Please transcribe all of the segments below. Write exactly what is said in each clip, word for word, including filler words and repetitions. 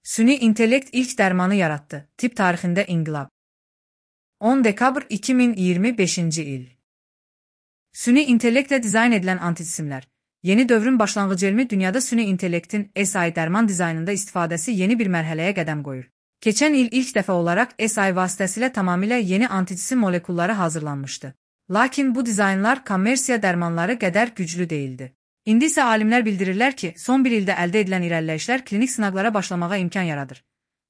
Süni intellekt ilk dərmanı yaratdı. Tibb tarixində inqilab. on dekabr iki min iyirmi beşinci il. Süni intellektlə dizayn edilən anticismlər. Yeni dövrün başlanğıcı elmi dünyada süni intellektin S I dərman dizaynında istifadəsi yeni bir mərhələyə qədəm qoyur. Keçən il ilk dəfə olaraq S I vasitəsilə tamamilə yeni anticisim molekulları hazırlanmışdı. Lakin bu dizaynlar kommersiya dərmanları qədər güclü değildi. İndi isə alimlər bildirirlər ki, son bir ildə əldə edilən irəliləyişlər klinik sınaqlara başlamağa imkan yaradır.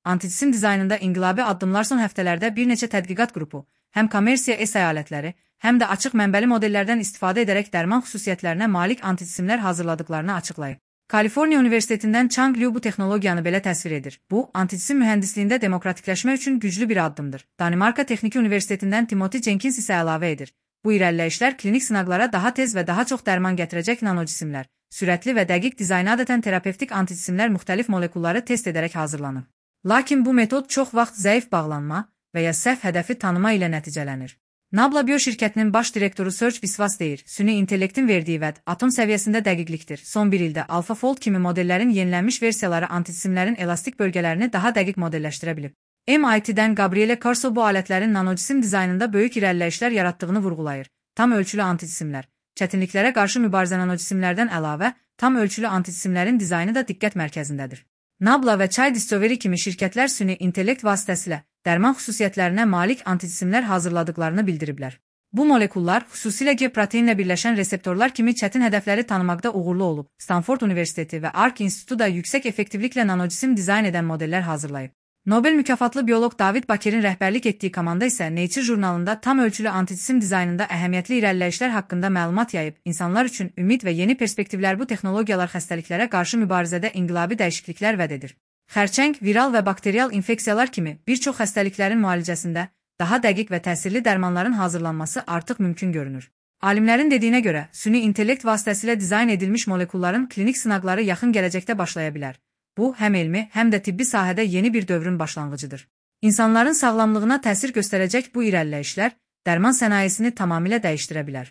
Anticisim dizaynında inqilabi addımlar son həftələrdə bir neçə tədqiqat qrupu, həm kommersiya S I alətləri, həm də açıq mənbəli modellərdən istifadə edərək dərman xüsusiyyətlərinə malik anticisimlər hazırladıklarını açıqlayıb. Kaliforniya Universitetindən Chang Liu bu texnologiyanı belə təsvir edir. Bu, anticisim mühəndisliyində demokratikləşmə üçün güclü bir addımdır. Danimarka Texniki Universitetindən Timothy Jenkins isə əlavə edir. Bu irəliləyişlər klinik sınaqlara daha tez və daha çox dərman gətirəcək nanocisimlər, sürətli və dəqiq dizaynı adətən terapevtik anticisimlər müxtəlif molekulları test edərək hazırlanır. Lakin bu metod çox vaxt zəif bağlanma və ya səhv hədəfi tanıma ilə nəticələnir. Nabla Bio şirkətinin baş direktoru Serge Viswas deyir, süni intellektin verdiyi vəd atom səviyyəsində dəqiqlikdir. Son bir ildə AlphaFold kimi modellərin yenilənmiş versiyaları anticisimlərin elastik bölgələrini daha dəqiq modelləşdirə bilib. M I T'dən Gabriele Corso bu alətlərin nanocisim dizaynında böyük irəliləyişlər yaratdığını vurğulayır. Tam ölçülü anticisimlər. Çətinliklərə qarşı mübarizə nanocisimlərdən əlavə, tam ölçülü anticisimlərin dizaynı da diqqət mərkəzindədir. Nabla və Chai Discovery kimi şirkətlər süni intellekt vasitəsilə dərman xüsusiyyətlərinə malik anticisimlər hazırladıklarını bildiriblər. Bu molekullar xüsusilə G proteinlə birləşən reseptorlar kimi çətin hədəfləri tanımaqda uğurlu olub. Stanford Universiteti və Arc İnstitutu da yüksək effektivliklə nanocisim dizayn edən modellər hazırlayıb. Nobel mükafatlı bioloq David Baker'in rəhbərlik etdiyi komanda isə Nature jurnalında tam ölçülü anticisim dizaynında əhəmiyyətli irəliləyişlər haqqında məlumat yayıb. İnsanlar üçün ümid və yeni perspektivlər bu texnologiyalar xəstəliklərə qarşı mübarizədə inqilabi dəyişikliklər vəd edir. Xərçəng, viral və bakterial infeksiyalar kimi bir çox xəstəliklərin müalicəsində daha dəqiq və təsirli dərmanların hazırlanması artıq mümkün görünür. Alimlərin dediyinə görə, süni intellekt vasitəsilə dizayn edilmiş molekulların klinik sınaqları yaxın gələcəkdə başlaya bilər. Bu, həm elmi, həm də tibbi sahədə yeni bir dövrün başlanğıcıdır. İnsanların sağlamlığına təsir göstərəcək bu irəliləyişlər, dərman sənayesini tamamilə dəyişdirə bilər.